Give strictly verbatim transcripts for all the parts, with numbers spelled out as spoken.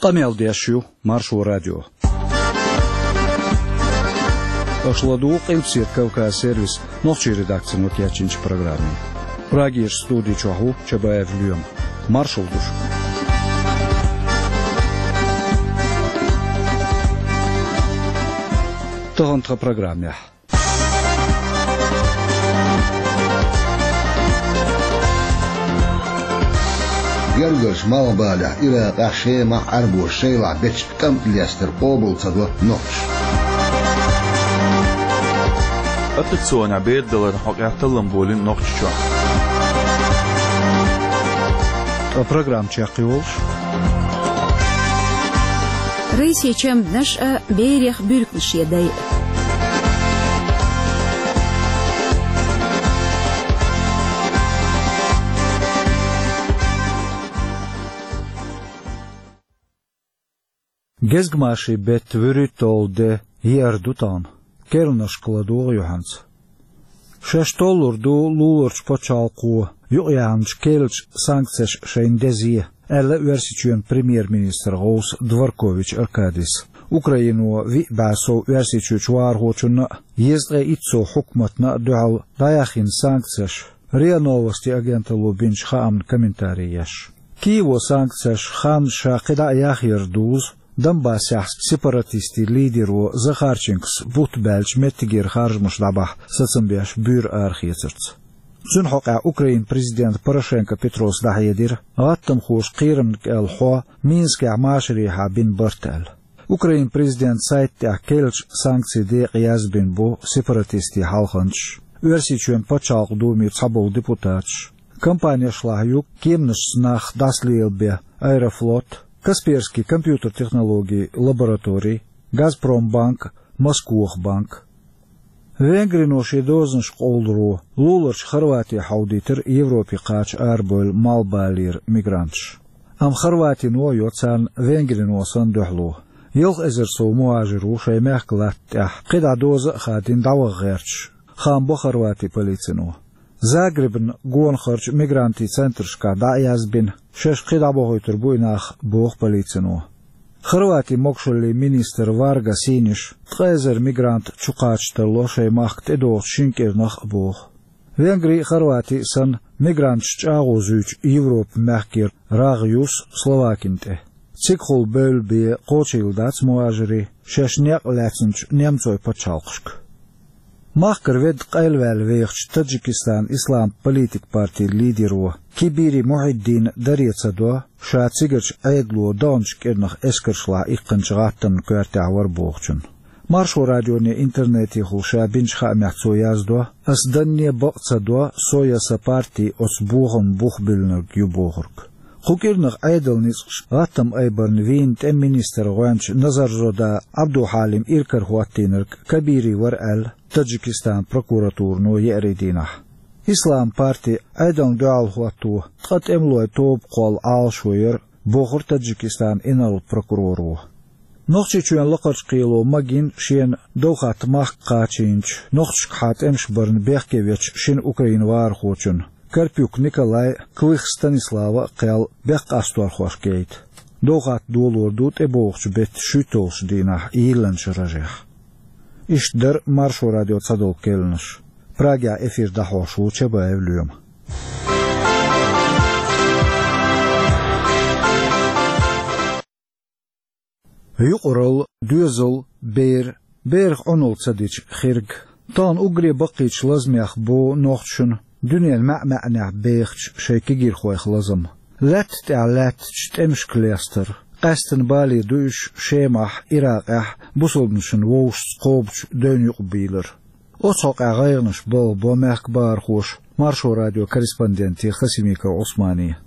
Къамел деш ю Маршо радио. Аша ладугӀу Къилбаседа Кавказ сервисан нохчийн редакцино кечйинчу программе. Прагерчу студи чохь ву Чабаев Лоьма. Маршалла ду шуьга. Тахана тхан программехь. Гергарчу Малхбалехь, Иракъехь, Шемахь Ӏаьрбоша шайлахь бечу тӀамна лестар къобал ца до нохчаша. Аттракционехь бер даларна хьокъехь таллам болийна Нохчийчохь. Ткъа программа чекхйолуш. Рыси чамданаш а, берех буьрканаш я дай. Гезгмашин беттан вуьрхӀитталгӀа де еара ду тахана. Керланашка ладогӀа юьхьанца. Шаьш толлур ду луларчу пачхьалкхо юкъаяьхначу керлачу санкцеша шайна дезе, аьлла Оьрсийчоьнан премьер-министран гӀовса Дворкович Аркадис. Украино виъ бӀе сов Оьрсийчуьрчу вахархочунна а, езткъе итт сов хьукматна а дуьхьал дӀаяьхйина санкцеш, РИА Новости агенталло бинчу хаамна комментари еш. Киево санкцеш хан ша кхидӀа а яхъяр дузу, Донбассехь сепаратистийн лидеро Захарченкос бутт баьлча меттигера харжамаш дӀабахьа сацам беш буьйр арахецарца. Цуьнан хьокъехь Украинан президента Порошенко Петрос дӀахьедира, гӀаттамхоша кхерамна кӀел хьо Минскехь машарехьа бина барт аьлла. Украинан президентан сайта тӀехь керлачу санкцийн декъе язбина бу сепаратистийн хьалханчаш, Оьрсийчоьнан пачхьалкхан думера цхьаболу депутаташ. Кампанешлахь ю кеманашца нах дӀасалелабен Аэрофлот, Касперский компьютер-технологийн лаборатори, Газпромбанк, Москох банк. Венгрино шен дозанаш къовлуро луларчу Хорвати хьовдийтира Европе кхача арабевлла Малхбалера мигранташ. Амма Хорватино а йо царна Венгрино санна дуьхьало. Ялх эзар сов мухӀажир ву шайн мехкан латта тӀехь, кхидӀа доза а хадийна дӀаваха гӀерташ, хаам бо Хорватин полицино. Загребан гонахарчу мигрантийн центрашкахь дӀа а язбина, шаьш кхин дӀабохуьйтур бу и нах, боху полицино. Хорватин могушаллин министр Варга Синиша ткъа эзар мигрант чукхача тарло шайн махка тӀедогӀучу шина кӀирнах а боху. Венгри а, Хорвати а санна, мигранташ чӀагӀо зуьйчу Европан мехкера рагӀ юссу Словакина тӀе. Цигахула бевлла бен кхочийла дац мухӀажирийн шаьш некъ лаьцначу немцойн пачхьалкхашка. Махкара ведда къайлаваьлла вехачу Таджикистанан ислам политик партин лидеро Кибири Мухьиддина даре ца до, ша цигарчу Ӏедало догӀначу кӀирнах эскаршлахь иккхинчу гӀаттамна коьртехь вара бохучун. Маршо радионе интернетехула ша бинчу хаамехь цо яздо: «Ас данне бакъ ца до, со я сан парти оцу бохаман бух буьллинарг ю», — бохург. Кху кӀирнах Ӏедалан ницкъаша гӀаттам айбарна вийна тӀеман министран гӀоьнча Назарзода Ӏабдулхьалим иракарахӀоттийнарг Кабири вара аьлла Таджикистанан прокуратурано еарин дийнахь. Ислам парти Ӏедална дуьхьал хӀотто ткъа тӀемалойн тоба кхолла Ӏалашо яра, бохура Таджикистанан инарла прокуроро. Нохчийчоьнан лакхарчу кхело магийна шена Довхатта махка кхачийначу, нохчашкахьа тӀемаш барна бехке вечу шина украин вахархочунна, Карпюк Николай а, Клых Станислава а кхел бехкъасторхошка яйта. Довхатта долор ду тӀебогӀучу беттан шуьйтталгӀачу дийнахь йиллинчу рожехь. Иштта дара Маршо радион цхьадолу керланаш. Прагехь эфир дӀахьош ву Чабаев Лоьма. Юкъаралла, доьзал, бер, берах Ӏуналла ца дича хирг. Тахана уггаре баккхийчу лазамех бу нохчашна дуьненан маьӀ-маьӀӀехь бехачу шайн кегийрхойх лазам. Лаьтта тӀехь лаьттачу тӀемашка лестар, къаьсттина бале ду уьш Шемахь, Иракъехь бусалбанашна вовшашца кхобучу девнна юкъабийлар. Оцу хьокъехь гӀайгӀанаш балхабо мехкан бахархоша Маршо радион корреспонденте Хасимиков Ӏусмане.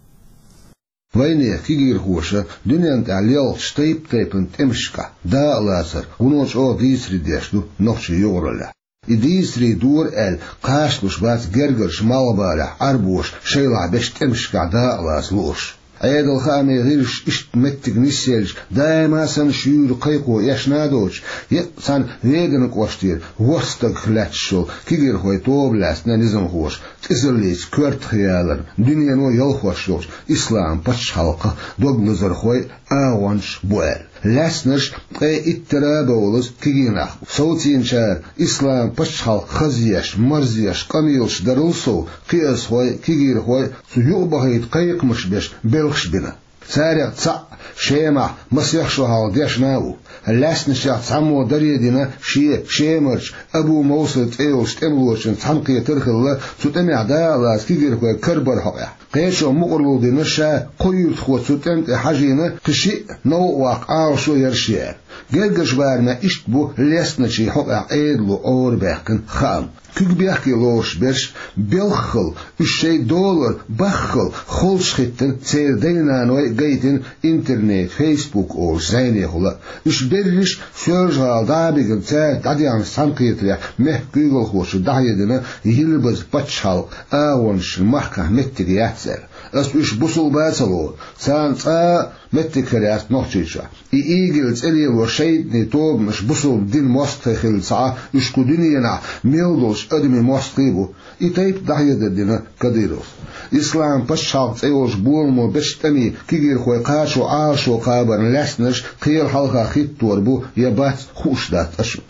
Вайнехан кегийрхоша дуьненна тӀехь лелхачу тайп-тайпана тӀемашкахь дакъалацар вуно чӀогӀа дийцаре деш ду нохчийн юкъараллехь. И дийцаре дора аьлла, кхачалуш бац гергарчу Малхбалехь Ӏаьрбоша шайлахь бечу тӀемашкахь дакъалаца луурш. Ӏедал хаамийн гӀирсаша иштта меттиг нисъелча, даима санна шуьйра кхайкхо эшна а доцуш, е а цхьана Веданан кӀоштера ворхӀ стагах лаьтташ йолу кегийрхойн тоба лаьцна низамхоша, тӀезаллица коьртах яларна, дуьнено ялхош йолчу ислам пачхьалкхан дог лазархой а, агӀончаш а бу аьлла. Лаьцнарш ткъе иттара а бовлаза кегий нах бу. Совцийначара ислам пачхьалкх хазъеш, марзъеш къамелаш дарал сов, кхиазхой, кегийрхой цу юкъабахийта кхайкхамаш беш белхаш бина. Царех цхьаъ Шемахь масех шо хьалха дешна а ву. Лаьцначех цхьаммо даре дина шен Шемарчу Абу Мовсар цӀе йолчу тӀемалочун цхьаьнакхетар а хилла, цу тӀамехь дакъа лаца кегийрхой карабар хьокъехь. Кхечо мукъарло дина ша кхо юьртахо цу тӀам тӀе хьажийна, кхин шиъ новкъа ваккха Ӏалашо яра шен аьлла. Гергарчу барамехь иштта бу лаьцначийн хьокъехь Ӏедало Ӏорабаьккхина хаам. Куьг бехке лоруш берш белххал, уьш шайн долар баххал холчу хӀиттина церан дай-наной а гайтина интернет, Facebook олуш зӀенехула а. Уьш берриш Соьлжа-ГӀала дӀа а бигина, цаьрца дӀадехначу цхьаьнакхетарехь мехкан куьйгалхочо дӀахьедина Йилбаза пачхьалкхан агӀончашна махкахь меттиг яц аьлла. Ас уьш бусулба а ца лору, царна цкъа а меттиг хир яц Нохчийчохь. И ИГИЛ цӀе лело шайтӀанийн тобанаш бусулба динан мостагӀий хилла ца Ӏа, уьш кху дуьненахь мел долчу адамийн мостагӀий а бу. И тайпа дӀахьедар дина Кадыровс. Ислам пачхьалкх цӀе йолчу боламо бечу тӀамийн кегийрхой кхачо Ӏалашо кхабарна лаьцнарш кхела хьалха хӀиттор бу я бац, хууш дац аша.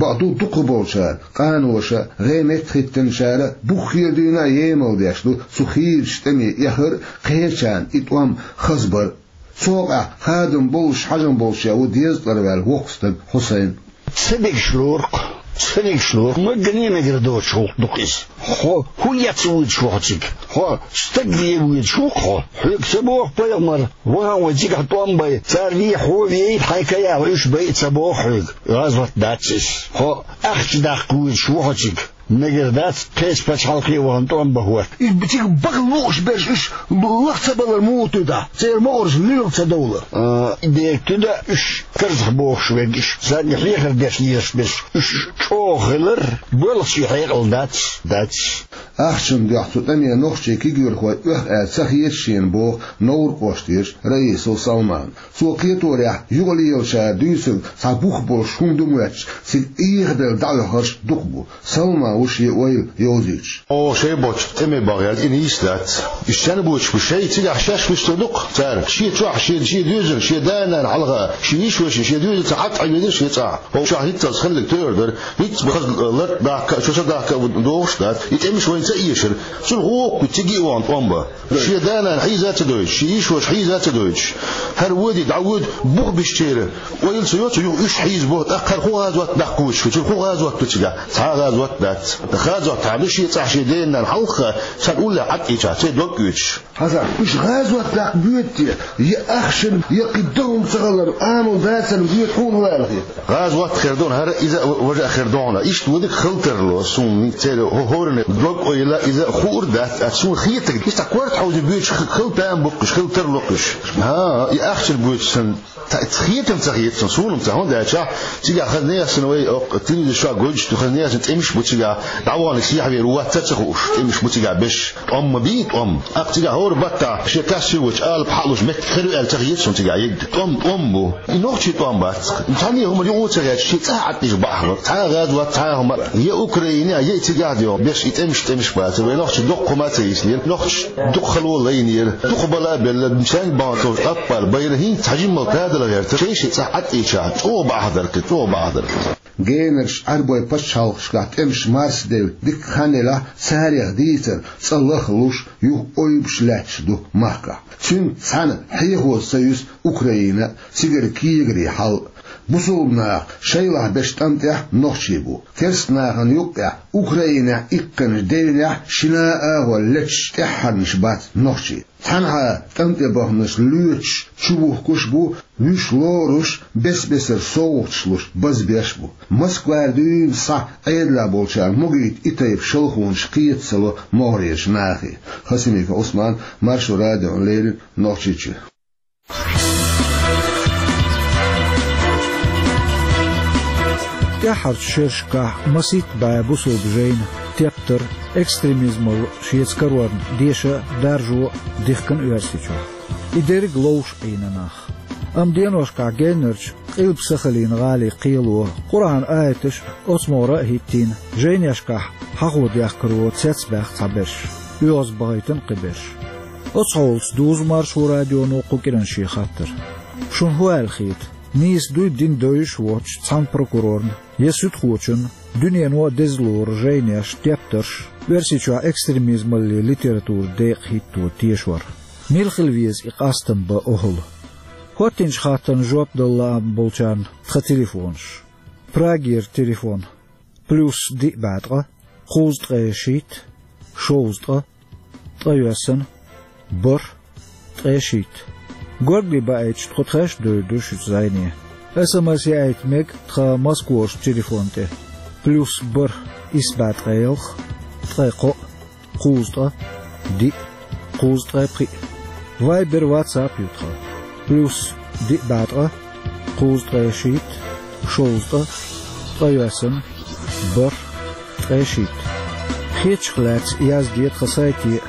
Бакъду, дукхахболчара, къаноша, гӀеметтахӀ хӀиттинчара буххера дуьйна а емал деш ду цу хийрачу тӀаме эхар а, кхечарна и тӀом хазбар а. Цу хьокъехь хадам боллуш хьажам болуш а ву дезткъара ваьлла воккха стаг Хьусайн. Ца дегаш лору-кх, ца дегаш лору, магане а мегар доцуш гӀуллакх ду-кх иза. Хьо хӀун эца воьдуш ву хьо цига? Хьо стаг вен воьдуш ву-кх хьо? Хьоьга ца боху пайхамара: «Ваха вайн цигахь тӀом бай, цара вен хьо вейта, хьайн каяха уьш байа», ца боху хьоьга? ГӀазот дац иза. Хьо ахча даккха воьдуш ву хьо цига? Мегар дац кхечу пачхьалкхе а вахана тӀом бан хӀотта. Уьш цига баха лууш берш, уьш лаха ца балар муха туьда? Церан могӀарш лилха ца довлар? А, и дерг туьда уьш карзахбохуш верг, уьш санна хьехар деш лелаш берш. Уьш чӀогӀа хилар боьлхучийн хьекъал дац, дац. Ахчанна дуьхьа цу тӀаме нохчийн кегийрхой оьху аьлла ца хета шена, боху Невран кӀоштерчу Раисов Салмана. Цо кхеторехь, юкъалелачара дуьйцург цхьа бух болуш хӀума ду моьттуш, цига эхабелла дӀаоьхурш дукха бу. Салман ву шен ойла йовзуьйтуш. Оха шайн боцчу тӀаме бахъяьлла и нийса дац. Уьш цхьаьна боцуш бу, шайн цигахь шаьш вуьстур ду-кх цара. Шен чохь, шен, шен доьзална, шен да-нана хьалха, шен йишошна, шен доьзалца хьатта Ӏамийна шен цӀахь. Вовшах хӀинццалц хилларг тӀера дара. ХӀинцца хаза лартӀа дахка а, чо са дахка а ву догӀуш дац. И тӀемаш вайна ца эшара. Цунах гӀо а кхуьйту, цига а вахана тӀом бан. Шен да-нана хьийза а ца дойтуш, шен йишоша хьийза а ца дойтуш. ХӀара воьдий, дӀавоьду, бух бисчеран ойла ца йо цу юха уьш хьийзабо, тӀаккха хӀара хӀун гӀазот даккха воьдуш ву, цуьнан хӀун гӀазот ду цигахь? Цхьа а гӀазот дац. ТӀаккха гӀазот хьан ду шен цӀахь, шен ден-ненан хьалха, царна уллехь Ӏад а ийча, церан дог оьцуш? Хьасан, уьш гӀазот даккха боьду те, я ахчанна, я кхин догӀма ца хиларна, Ӏамал дацарна боьду, хьуна хӀун аьлла хета? ГӀазот хир ду хьуна хӀара, иза а, важа а хир ду хьуна. Иштта ву дика хила тарло, суна церан хӀо-, хӀоранна дог-ойла иза хуур дац, а суна хетарг, иза корта хьовзийна боьдуш х-, хила там бу-кх уьш, хила тарло-кх уьш. ХӀан, и ахчанна боьдуш санна, та-, хетам ца хета суна, суна-м ца, хӀунда аьлча, цигахь хаза нехан санна вай, оккха, телевизор чохь гойтуш ду, хаза нехан санна тӀемаш бу цигахь, дӀаваханиг сехьавер ву, вац ца хууш, тӀемаш бу цигахь беш. ТӀом ма бий, тӀом. Аккха цигахь хӀора баттахь шен кассир вачу алапа хьалуш меттиг хир ю аьлла ца хета суна цигахь егга. ТӀом, тӀом бу. И нохчийн тӀом бац. Цхьанне хӀума юкъа ца гӀерташ, шен цӀахь Ӏадъеш бахьа. Цхьа а гӀазот, цхьа а хӀума. Я Украине, я и цигахь де беш, и тӀемаш, тӀемаш бац. Вай нохчий дукха хӀума ца йиснера. Нохчий дукха хало лайнера. Дукха бала а белла, цхьаьна бахьана товш аппал байра, хӀинца цхьа жимма тадала гӀерта. Шайн-шайн цӀахь Ӏадъийча, чӀогӀа бахьа дара-кх, чӀогӀа бахьа дара-кх. Генарчу Ӏаьрбойн пачхьалкхашкахь тӀемаш марсаделла дика хан елахь, царех дийцар цкъа лахлуш, юха ойбуш лаьтташ ду махкахь. Цуьнца цхьаьна хьехоза ца юьсу Украина а, цигара кегари хьал а. Бусулба наха шайлахь бечу тӀам тӀехь нохчий бу. Керста нахана юккъехь, Украинехь иккхинчу девнехь шина а агӀор леташ тӀаьххьарнаш бац нохчий. Цхьанхьа тӀам тӀе баханарш лоьцуш, чубухкуш а бу, вуьш лоруш, бес-бесара совгӀаташ луш, базбеш а бу. Москвара дуьйна схьа Ӏедалехь болчара могийта и тайпа шалхонаш кхета ца ло могӀарерчу нахе. Хасимиков Ӏусман, Маршо радиона леррина, Нохчийчуьра. ТӀаьххьарчу шерашкахь масийтта бӀе бусулба жайна тептар, экстремизмалла шеца карорна деша а, даржо а дихкина Оьрсийчохь. И дерриг ловш Ӏийна нах. Амма деношкахь геннарчу Къилба-Сахалин гӀалин кхело, Къуръан аяташ оцу могӀара а хӀиттийна, жайнешкахь хьахо дехкаро цецбаьхна цхьаберш, оьгӀаз бахийтина кхиберш. Оцу хьолаца дузу Маршо радионо кху кӀиран шен хаттар. Шуна хӀун аьлла хета? Нийса дуй, дин девзаш воцчу цхьана прокурорна я суьдхочунна дуьнено а деза лору жайнеш, тептарш, Оьрсийчохь экстремизмалле литература декъахӀитто тешор? Мила хила веза и къастам бан охӀла? ХӀоттинчу хаттарна жоп дала лаам болчарна тхан телефонаш. Прагера телефон: плюс диъ бӀе ткъа, кхузткъе шийтта, шовзткъа, ткъайоьсна, бархӀ, ткъе шийтта. Горгали баийтича, тхо тхаьш а девр ду шуьца зӀене. СМС яийта мега тхан Москварчу телефон тӀе: плюс бархӀ, исс бӀе ткъе ялх, ткъе кхоъ, кхузткъа, диъ, кхузткъе пхиъ. Вайбер, ватсап ю тхан: плюс диъ бӀе ткъа, кхузткъе шийтта, шовзткъа, ткъайоьсна, бархӀ, ткъе шийтта. Хетачух лаьцна язде тхан сайте: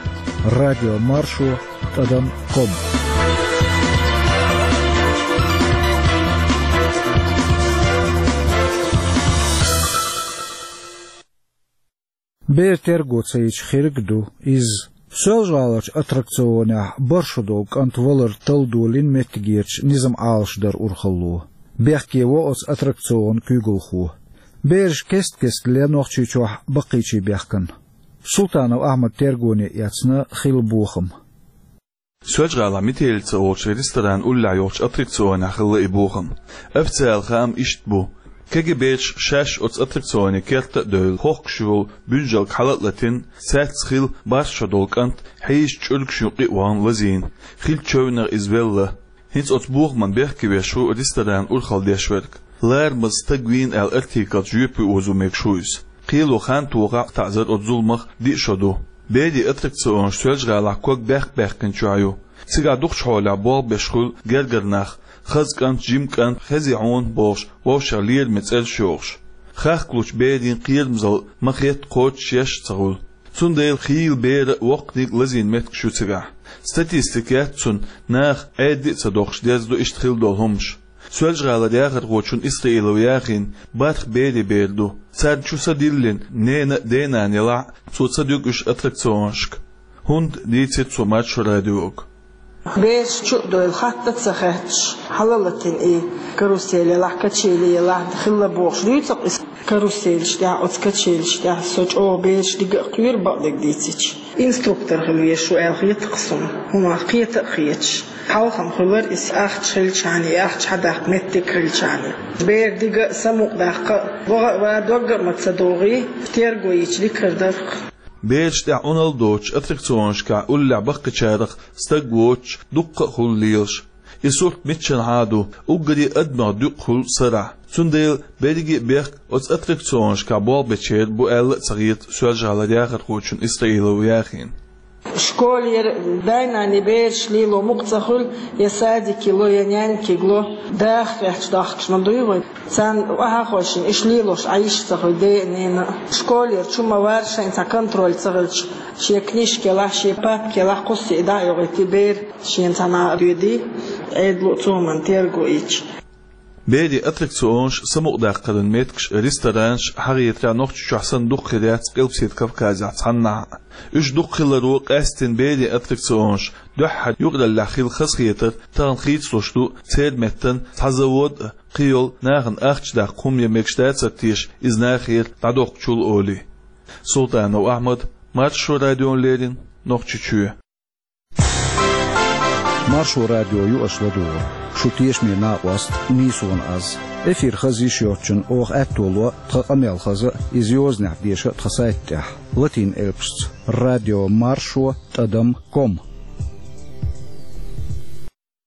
радио маршо тӀадам ком. Бер терго ца йича хирг а ду иза. Соьлжа-ГӀаларчу аттракционехь бархӀ шо долу кӀант валар талла долийна меттигерчу низам Ӏалашдаран урхалло. Бехке во оцу аттракционан куьйгалхо. Бераш кест-кеста ле Нохчийчохь баккхийчийн бехкана. Султанов Ахьмада тергоне эцна хилла бохам. Соьлжа-ГӀалахь метелица олучу ресторан уллехь йолчу аттракционехь хилла и бохам. Официалан хаам иштта бу. Кегий бераш шаьш оцу аттракционе керта а девлла, хохкуш йолу буьнжалг хьала а латийна, цаьрца хилла бархӀ шо долу кӀант хьийзачу чӀуьргаш юкъа а вахана лазийна, хиллачу чевнех иза велла. ХӀинца оцу бохаман бехке веш ву ресторанан урхалла деш верг. Ларамаза стаг вийна аьлла артикалца жоьпе озо мегаш ву иза. Кхело хан тохахь а, таӀзар оцу зуламах диъ шо ду. Берийн аттракционаш Соьлжа-ГӀалахь ког бехк-баьккхинчохь ю. Цигахь дукхачу хьолехь болх беш хуьлу гергара нах, хаза кӀант, жима кӀант, хезий хьуна бохуш, вовшех лераме цӀераш йохуш. Хахкалучу берийн кхерамзалла ма-хетта кхочушъеш а ца хуьлу. Цундела хийла беран а, воккханиг а лазийна меттигаш ю цигахь. Статистика яц цуьнан, наха Ӏедда а ца доккхуш дерзадо иштта хилла долу хӀуманаш. Соьлжа-ГӀалара яхархочун Исраилов Яхин бархӀ берийн бер ду. Царна чу са диллина, ненан а, денан а елахь а, цо ца дуьгу уьш аттракционашка. ХӀунда, дийцира цо Маршо радиога. Бераш чу а девлла, хатта а ца хетташ, хьала а латийна и карусель елахь, качели елахь, хилла бохуш дуьйцу-кх иза. Каруселаш тӀехь, оцу качелаш тӀехь со чӀогӀа бераш дига а кхоьру, бакъдерг дийцича. Инструктор хила везаш ву аьлла хета-кх суна, хӀуманах кхета а хеташ. Хьалха-м хуьлура иза ахча хилчахьана, и ахча хьадаккха меттиг хилчахьана. Бер дига а, самукъадаккха а, ваха а ван, дог а ма ца догӀий, терго йича дика хир дара-кх. Бераш тӀехь Ӏуналла доцуш аттракционашкахь уллехь баккхийчарах стаг воцуш дуккха а хуьлу лелаш. И сурт миччанхьа а ду, уггаре адамех дуькъа хуьлу сарахь. Цундела берриге а бехк оцу аттракционашкахь болх бечеран бу аьлла а ца хета Соьлжа-ГӀалара яхархочун Исраилов Яхина. Школера дай-наной бераш лело мукъа ца хуьлу, я садике ло, я нянькига ло, даха хьаьжча дахкаш ма дуй вай. Царна охьахойшина, иштта лелош Ӏаш ца хуьлу ден а, ненан а. Школера чу ма вар, шайна цхьа контроль ца хилча, шен книжка елахь, шен папка елахь, кхуссий дӀа а йохуьйтий бер, шена цхьанхьа а доьдий, Ӏедало а цу хӀуманна терго йича. Берийн аттракционаш, самукъадаккхаран меттигаш, ресторанаш хьахетарехь Нохчийчохь санна дукха хир яц Къилбаседа Кавказехь цхьаннахьа а. Уьш дукха хиларо, къаьсттина берийн аттракционаш дуьххьара юкъараллехь хилла хазахетар тахана хийцалуш ду, церан меттана цхьа завод а, кхин йолу нахана ахча даккха хӀума ян мегаш дацара теша иза нахера дӀадоккхучул олий. Султанов Ахьмад, Маршо радиона леррина, Нохчийчоь. Маршо радио ю аша ладугӀург. Шу тешаме накъост нийсонан аз. Эфир хаза йиш йоцчунна оха аьтто ло тхан къамел хаза а, иза йозанехь деша а тхан сайта тӀехь, латин элпашца: радио маршо тӀадам ком.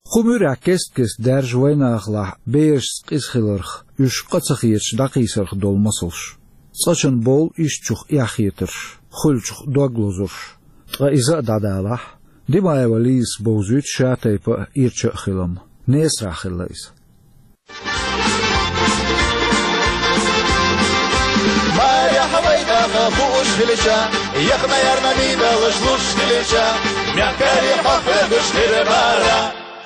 Кху муьрехь кест-кеста даьржа вайнахалахь берашца къиза хиларх, уьш къа ца хеташ дӀакхийсарх долу масалш. ЦӀа чан бовлу ишттачух эхь хетарш, хуьлучух дог лозурш. Ткъа иза а дӀадалахь, Димаева Лизас бовзуьйту ша тайпа а, ирча а хилам. Несарахь хилла иза. Марехь вай даха бууш хилча, яхна-ярна мийдалаш луш хилча, Мягкая хохлыгыш перебара,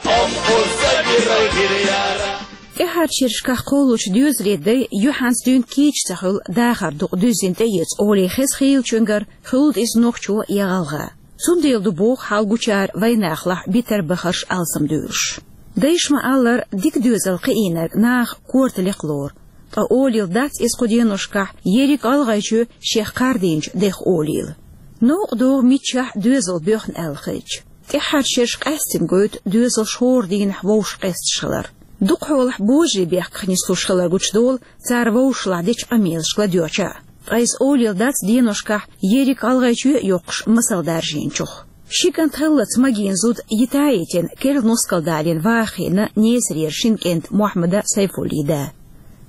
он пусть забирай гиряра. ТӀаьххьарчу шерашкахь кхоллалучу доьзалийн дай юьхьанца дуьйна кийча ца хуьлу дахар дукъ дуьззина тӀеэца олий хеза хийлачуьнгара, хуьлда иза нохчо я гӀалгӀа. Цундела ду боху хьал гучара вайнахалахь битар бахарш алсамдуьйлуш. Дайша ма-аллара, дика доьзал кхиийнарг наха корта лекха лору. Ткъа олийла дац иза кху деношкахь ерриг ГӀалгӀайчоь шех кхардийначу дех олийла. Новкъа догӀу миччахь доьзал боьхна аьлла хилча. ТӀаьххьарчу шераш къаьстина гойту доьзалш хӀора дийнахь вовшах къесташ хилар. Дукхахьолахь божарий бехках нислуш хилар гучудолу цара вовшашлахь дечу къамелашка ладоьгӀча а. Ткъа иза олийла дац деношкахь ерриг ГӀалгӀайчоь а йоккхуш масал даржийначух. Ши кӀант хиллалц магийна зуда йита а йитина, керла нускал далийна ваха хиъна Несарера шина кӀентан Мохьмадан Сайфуллин да.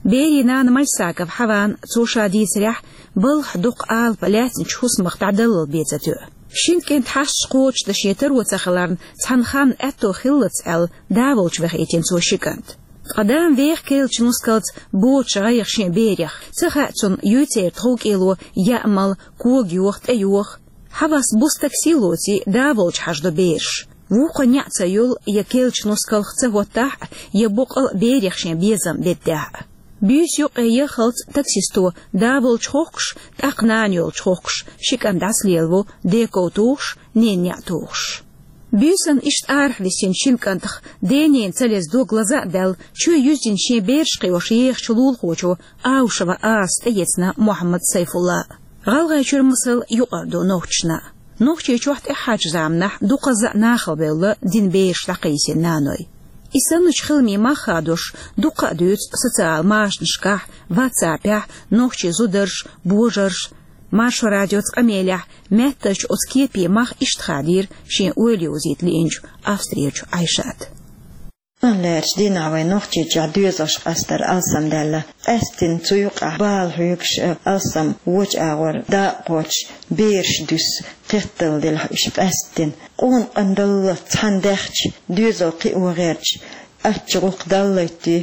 Берийн нана Мальсагова Хьавана, цо ша дийцарехь, балхахь дукха алапа лаьцначу хӀусамах дӀадаллал бен ца тоьу. Шина кӀентан хьашташ кхочушдан шен таро ца хиларна, цхьана ханна аьтто хиллалц аьлла, да волчу вахийтина цо ши кӀант. Ткъа дама веха керлачу нускалца боцуш гӀайгӀа шен берех. Ца хаьа цунна, юй церан тховкӀело яа мала, кога йоха, тӀе йоха. Хьавас буса такси лоций, да волчу хьажадо бераш. Вукхо неӀ ца йолу, я керлачу нускалх ца хӀоттахь а, я боккъал а берех шен безам беддехь а. Буьйса юккъе яххалц таксисто да волчу хохкуш, тӀаккха нана йолчу хохкуш, ши кӀант дӀасалелаво, ден ков тухуш, ненан неӀ тухуш. Буьйсанна иштта арахь висинчу шина кӀантах ден-ненан ца леза дог лаза а даьлла, чоь юьззина шен бераш кхиош ехачу лулахочо Аушева Асас тӀеэцна Мохьмад Сайфулла. ГӀалгӀайчуьра масал юкъара ду нохчашна. Нохчийчохь тӀаьххьарчу заманахь дукхазза а нахала бевлла дина бераш дӀакхийсина наной. И санначу хиламийн мах хадош дуккха а дуьйцу социал машанашкахь, ватсапехь, нохчийн зударша, божарша. Маршо радиоца къамелехь меттачу оцу кепийн мах иштта хадийра шен ойла йовзийта лиъначу Австрерчу Ӏайшата. Лаьрчу дийнахь вайн Нохчийчохь доьзалш къастар алсамдаьлла. Къаьсттина цу юкъахь бала хьоьгуш а, алсам вочу агӀор дакъа кхочуш, бераш дуьсу, кхетталла делахь уьш къаьсттина. Къона къандалла цхьаьна даьхча, доьзал кхио гӀерташ, ачча гӀуллакх даллайтий,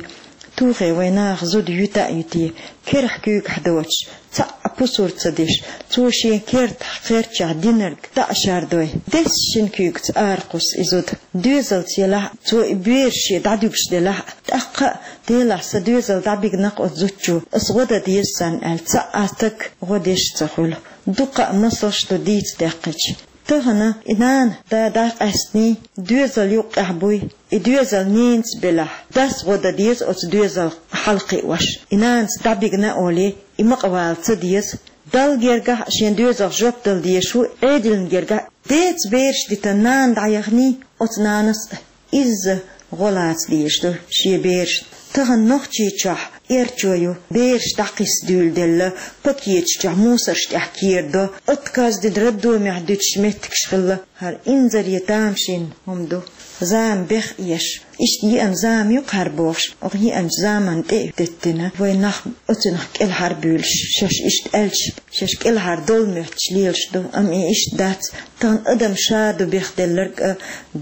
тухий вайн наха зуда юьта а юьтий, керахь куьйгахь доцуш, цхьа а пусар ца деш, цо шен кертахь, кхерчахь динарг дӀа а шардой, десса шина куьйгаца ара кхуссу и зуда. Доьзалца елахь а, цо и бераш шен дӀадуьгуш делахь а, тӀаккха а, делахь сан доьзал дӀабигна-кх оцу зудчо, ас гӀо дан деза царна аьлла, цхьа а стаг гӀо деш ца хуьлу. Дуккха а масалш ду дийца даьккхича. Тахана и нана, да дӀакъаьстиний, доьзал юккъехь буй, и доьзал ненаца белахь, дас гӀо дан деза оцу доьзалх хьалакхиош. И нанаца дӀабигна а олий, и ма къавала ца деза. Далла гергахь а шен доьзалх жоп дала дезаш ву, Ӏедална гергахь а. Деца бераш дитан нана дӀаяханий, оцу нанас а изза гӀо лаца дезаш ду шен берашна. Тахана Нохчийчохь эрчо ю, бераш дӀакхисса дуьйладелла, пакеташ чохь мусарш тӀехь керадо, отказ дина роддомехь дуьтуш меттигаш хилла. ХӀара инзаре тамашийна хӀума ду. Зама беха еш. Иштта еана зама ю-кх хӀара бохуш, оха еанчу заманна тӀе а теттина, вайн нах оцунах кӀелхьарбуьйлуш, шаьш иштта аьлча, шаьш кӀелхьардовла моьттуш лелаш ду, амма и иштта дац. Тахана адам ша ду бехделларг а,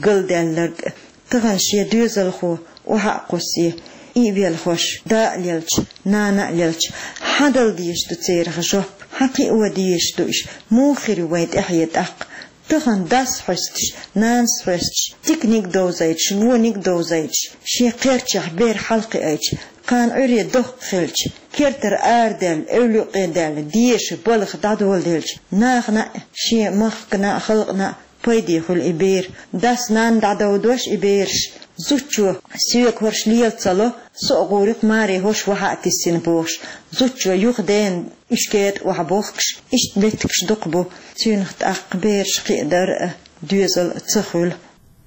галдаьлларг а. Тахана шен доьзалхо охьа а кхуссий, и а велхош, да а лелча, нана а лелча, хьан дала дезаш ду церах жоп, хьан кхио дезаш ду уьш, муха хир ю вайн тӀаьхье тӀаккха? Тахана дас хьоьстуш, нанас хьоьстуш, диканиг а довзуьйтуш, вониг а довзуьйтуш, шен кхерчахь бер хьалакхиийча, кхана Ӏуьйре доккха хилча, кертара арадаьлла, эвла юккъе даьлла, деша, балха дӀадоладелча, нахана а, шен махкана а, халкъана а пайде хуьлу и бер. Дас, нанна дӀадовдош и бераш, зудчо соьга хӀорш лела ца ло, со а гӀур ю-кх, маре хӀорш вахьа а тиссина бохуш, зудчо юха дена уьш кетӀа охьабохкуш, иштта меттигаш дукха бу, цуьнах тӀаккха бераш кхиадар а, доьзал а ца хуьлу.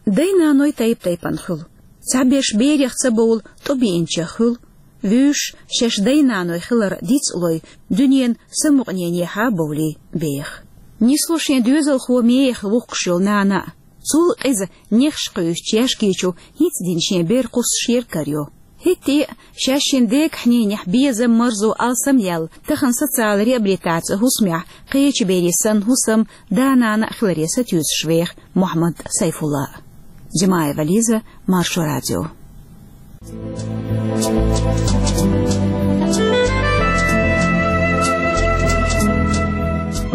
Дай-наной тайп-тайпана хуьлу. Цхьаберш берех ца бовла, тӀо биъначех хуьлу. Вуьйш, шаьш дай-наной хилар дицлой, дуьненан самукъаненехьа бовлий беха. Нисло шен доьзалхо мехала вухкуш йолу нана а. Цул а къиза нехаш кхуьйсучу яьшкичо хӀинца дина шен бер кхуссуш яра карайо. ХӀетте а, шаьш шина дегахь-ненехь безам, марзо, алсам яьлла, тахана социал реабилитаци хӀусамехь кхечу берийн санна хӀусам, да-нана а хиларе сатуьйсуш веха Мухьаммад Сайфулла. Джамаева Лиза, Маршо радио.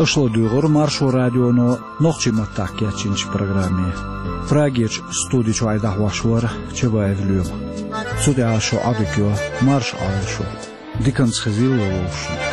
Аша ладугӀура Маршо радионо нохчийн маттахь кечйинчу программе. Прагерчу студи чуьра дӀахьош вара Чабаев Лоьма. Цу тӀехь шун Ӏадика йо марша Ӏойла шу. Диканца хезийла вовшашна.